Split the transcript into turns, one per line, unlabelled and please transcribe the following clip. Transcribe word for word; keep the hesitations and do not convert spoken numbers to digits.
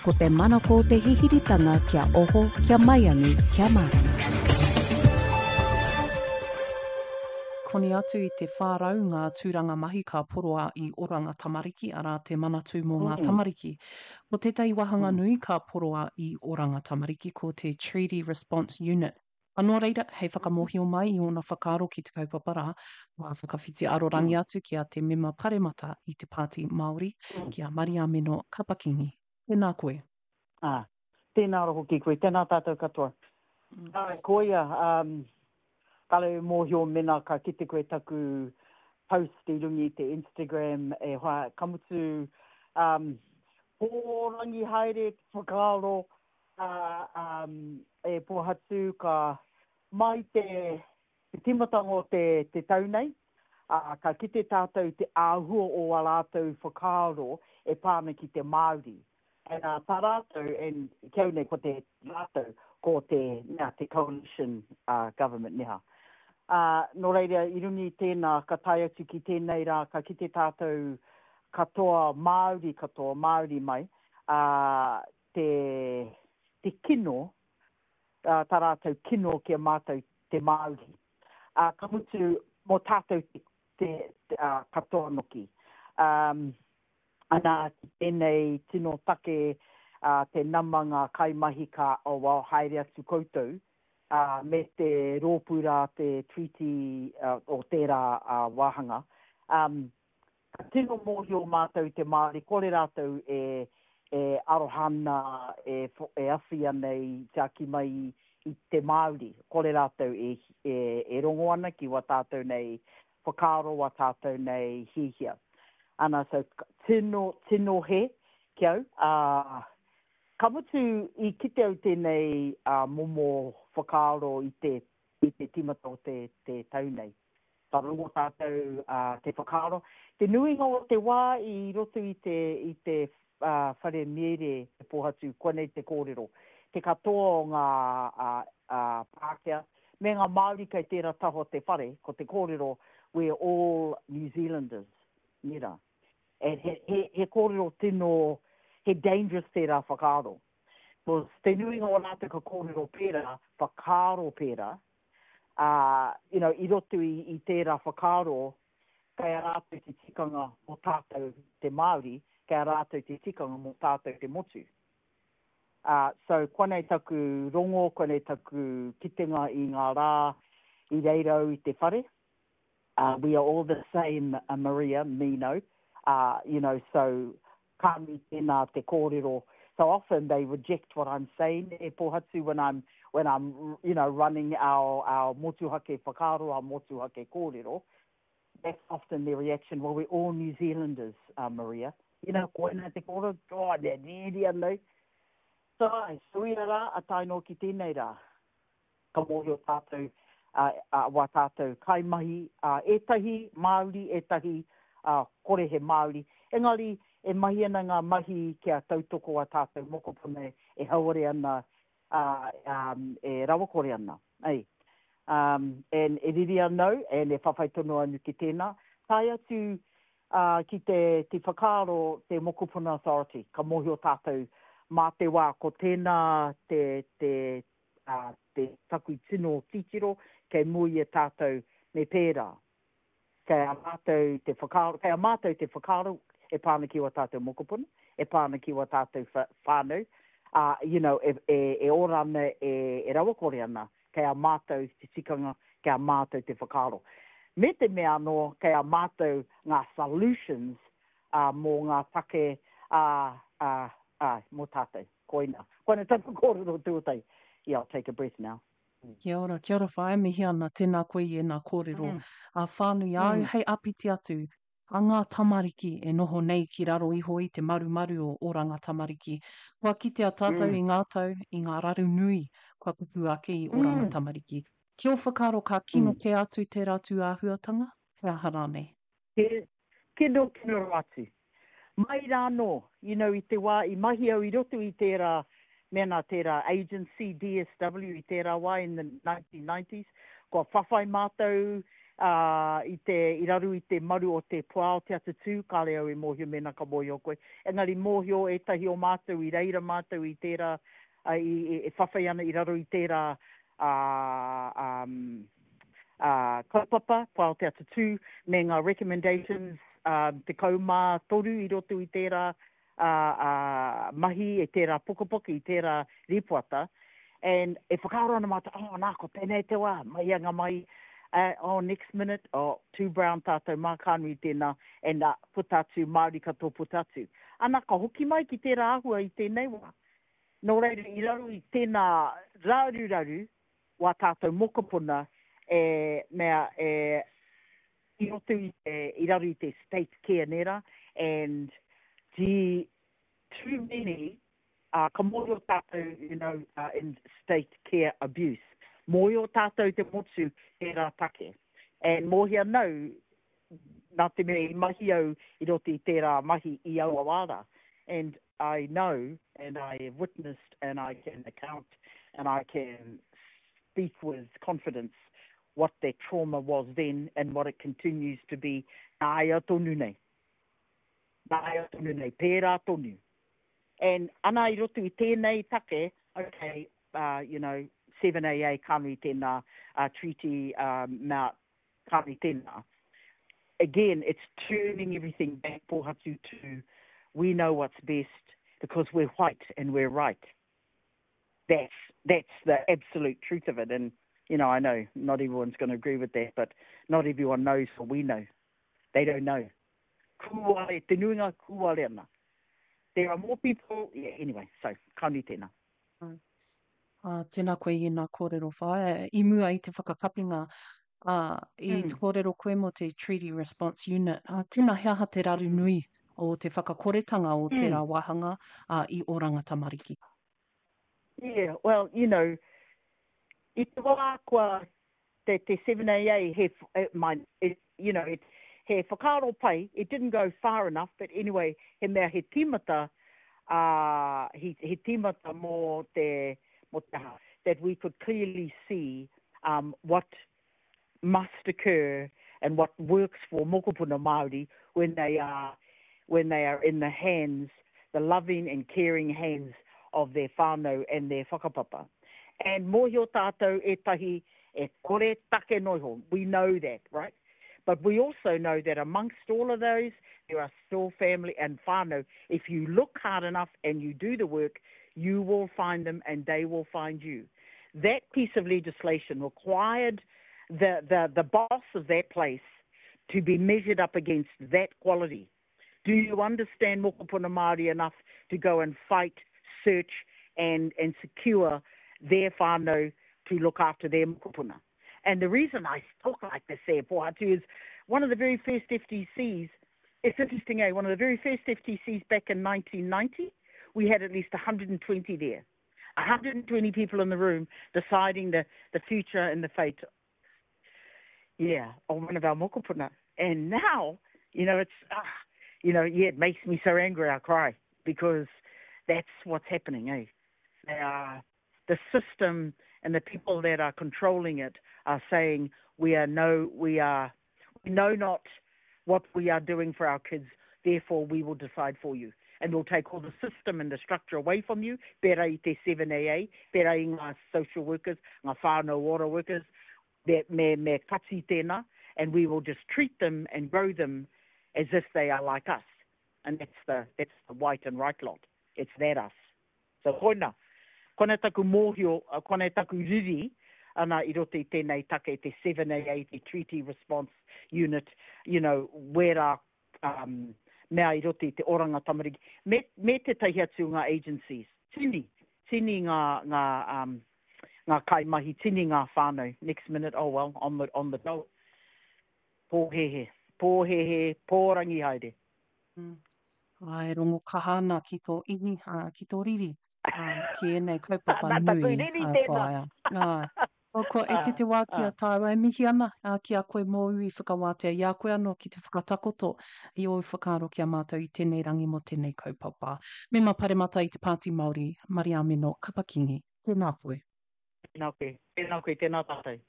Ko te manako o te hihiritanga kia oho, kia maiangi, kia mārama.
Koni atu i te whā rau ngā tūranga mahi ka poroa i Oranga Tamariki, arā te Manatū mō ngā Tamariki. Ko tētahi wāhanga nui ka poroa i Oranga Tamariki ko te Treaty Response Unit. A nō reira, hei whakamōhio mai i ōna whakaaro ki te kaupapa rā, kua whakawhiti arorangi atu ki a te mema paremata i te Pāti Māori, ki a Mariameno Kapa-Kingi. Tēnā koe.
Ā, tēnā rā hoki koe, tēnā tātou katoa. Āe, koia, um, kāre e mōhio mena ka kite koe taku post i runga i te Instagram e hoa, ka mutu, um, pōrangi haere te whakaaro, ā, um, e Pōhatu ka mai te, te tīmatanga o te, te tau nei, ā, ka kite tātou te āhua o ā rātou whakaaro e pā ana ki te Māori. And uh, tā rātou, and ki au nei ko te rātou, ko te, mea, te coalition uh, government neha. Uh, nō reira, i runga i tēnā, ka tae atu ki tēnei rā, ka kite tātou katoa, Māori katoa, Māori mai, uh, te, te kino, uh, tā rātou kino ki a mātou te Māori. Uh, ka mutu, mō tātou te, te, te uh, katoa noki. Um, ana, ki tēnei tino take uh, te nama ngā kaimahi ka oh, well, haere atu koutou, uh, me te rōpū rā te treaty uh, o tērā uh, wāhanga. Um, ka tino mōhio mātou te Māori, kore rātou e, e aroha ana, e, e awhi ana i tiaki mai i, i te Māori. Kore rātou e, e, e rongo ana ki wā tātou nei whakaaro, wā tātou nei hihia. Ana, so, tino, tino he ki au. Uh, ka mutu i kite au tēnei uh, momo whakaaro i te, i te tīmata o te, te tau nei. Ka rongo tātou uh, te whakaaro. Te nuinga o te wā i roto i te, i te uh, whare mere te Pōhatu, koinei te kōrero. Te katoa o ngā uh, uh, Pākehā, me ngā Māori kei tērā taha o te whare, ko te kōrero, we're all New Zealanders. Nera. And he, he, he kōrero tino, he dangerous tērā whakaaro. Because te nuinga o rātou ka kōrero pērā, whakaaro pērā, uh, you know, i roto i, i tērā whakaaro, kei a rātou te tikanga mō tātou te Māori, kei a rātou te tikanga mō tātou te motu. Uh, so, koinei taku rongo, koinei taku kitenga i ngā rā i reira au i te whare. Uh, we are all the same, uh, Maria, Mino. Uh, you know, so ka nui tēnā te kōrero. So often they reject what I'm saying, e Pōhatu, when I'm, when I'm, you know, running our, our motuhake whakaaro, our motuhake kōrero. That's often their reaction. Well, we're all New Zealanders, uh, Maria. You know, koina te kōrero, God, e riri anau. So, ai, so ia rā, a tae noa ki tēnei rā. Ka mōhio tātou, uh, uh, wā tātou kaimahi, uh, ētahi Māori, ētahi uh, kore he Māori. Engari, e mahi ana ngā mahi kia tautoko a tātou mokopuna e hauore ana, uh, um, e rawakore ana. Ei. Um, and e riri anau, and e whawhai tonu anu ki tēnā. Tae atu uh, ki te, te whakaaro te Mokopuna Authority. Ka mōhio tātou mā te wā ko tēnā te, te, uh, te taku tino titiro kei mua i a tātou me pērā. Kei a mātou te whakaaro, kei a mātou te whakaaro e pā ana ki wā tātou mokopuna, e pā ana ki wā tātou whānau, uh, you know, e, e, e ora ana, e, e rawakore ana, kei a mātou te tikanga, kei a mātou te whakaaro. Me te mea anō, kei a mātou ngā solutions uh, mō ngā take uh, uh, uh, mō tātou. Koina. Koina taku kōrero tuatahi. Yeah, I'll take a breath now.
Kia ora, kia ora whaea, mihi ana, tēnā koe i ēnā kōrero. Mm. A whānui āu mm. hei apiti atu, a ngā tamariki e noho nei ki raro iho i te marumaru o Oranga Tamariki. Kua kitea tātou mm. i ngā tau, i ngā raru nui kua pupū ake i Oranga mm. Tamariki. Ki ō whakaaro ka kino mm. kē atu tērā tūāhuatanga? He aha rānei?
He kino kino rawa atu. Mai rānō, you know, i te wā i mahi au i roto i tērā, mēnā tērā agency D S W i tērā wā in the nineteen nineties, kua whawhai mātou uh, i, te, i raru i te maru o te puao te atatū, kāre au e mōhio mena ka mōhio koe. Engari mōhio ētahi o mātou i reira mātou i tērā, uh, i, i, e whawhai ana i raro i tērā uh, um, uh, kaupapa, puao te atatū, me ngā recommendations um, te kaumā toru i roto i tērā uh, uh, mahi, e tērā pukapuka, i tērā rīpoata. And e whakaaro ana mātou, oh, nā, ko tēnei te wā, mai anga mai, uh, oh, next minute, oh, too brown tātou mā kānui tēnā, and uh, puta atu, Māori katoa puta atu. Ana, ka hoki mai ki tērā āhua i tēnei wā. Nō reira, i raro i tēnā raru raru, wā tātou mokopuna, e, mea, e, i roto i te, i raro i te state care nera, and the too many, uh, ka mōhio tātou, you know, uh, in state care abuse. Mōhio tātou te motu tērā take. And mōhio nau, nā te mea i mahi au i roto i tērā mahi i aua wāra. And I know, and I have witnessed, and I can account, and I can speak with confidence what that trauma was then and what it continues to be nāia tonu nei. Nāia tonu nei, pērā tonu. And ana i roto i tēnei take, okay, uh, you know, seven A A kānui tēnā, uh, treaty um, mea kānui tēnā. Again, it's turning everything back pōhatu to we know what's best because we're white and we're right. That's, that's the absolute truth of it. And, you know, I know not everyone's gonna agree with that, but not everyone knows what we know. They don't know. Kūare, te nuinga kūare ana. There are more people, yeah, anyway, so, kānui tēnā.
Ah, tēnā koe i ngā kōrero whaea. I mua i te whakakapinga, ah, i
Mm.
te kōrero koe mō te Treaty Response Unit. Ah, tēnā he aha te raru nui o te whakakoretanga o
Mm.
tērā wāhanga, ah, i Oranga Tamariki?
Yeah, well, you know, i te wā kua te, te seven A A, he, eh, mine, it, you know, it, he whakaaro pai, it didn't go far enough, but anyway, he mea he tīmata, uh, he, he tīmata mō te, mō te aha, that we could clearly see, um, what must occur and what works for mokopuna Māori when they are, when they are in the hands, the loving and caring hands of their whānau and their whakapapa. And mōhio tātou ētahi e kore take noiho. We know that, right? But we also know that amongst all of those, there are still family and whānau. If you look hard enough and you do the work, you will find them and they will find you. That piece of legislation required the, the, the boss of that place to be measured up against that quality. Do you understand mokopuna Māori enough to go and fight, search and, and secure their whānau to look after their mokopuna? And the reason I talk like this there, Pōhatu, is one of the very first F T Cs, it's interesting, eh? One of the very first F T Cs back in nineteen ninety, we had at least a hundred and twenty there. a hundred and twenty people in the room deciding the, the future and the fate, yeah, of one of our mokopuna. And now, you know, it's, ah, you know, yeah, it makes me so angry I cry because that's what's happening, eh? They are, the system and the people that are controlling it are saying we are no, we are, we know not what we are doing for our kids, therefore we will decide for you. And we'll take all the system and the structure away from you, pērā i te seven A A, pērā i ngā social workers, ngā whānau ora workers, me, me, me kati tēnā, and we will just treat them and grow them as if they are like us. And that's the, that's the white and right lot. It's that us. So koina, koina taku mōhio, koina taku riri, ana i roto i tēnei take, te seven A A, te Treaty Response Unit, you know, wera, um, mea i roto i te oranga tamariki, me, me te tahi atu ngā agencies, tini, tini ngā, ngā, um, ngā kaimahi, tini ngā whānau. Next minute, oh well, on the, on the dole. Pōhehe, pōhehe, pōrangi haere.
Mm. Ai, rongo kaha ana ki tō ihi, ā, ki tō riri, ā, ki ēnei kaupapa
Nā taku
nui,
riri
ā,
tēnā.
whaea. Ā. O, kua eke te wā ki a tāua e mihi ana, ā, ki a koe mōu i whakawātea i a koe anō ki te whakatakoto i ōu whakaaro ki a mātou i tēnei rangi mō tēnei kaupapa. Mema Paremata i te Pāti Māori, Mariameno Kapa-Kingi. Tēnā koe.
Tēnā koe. Tēnā koe, tēnā tātou.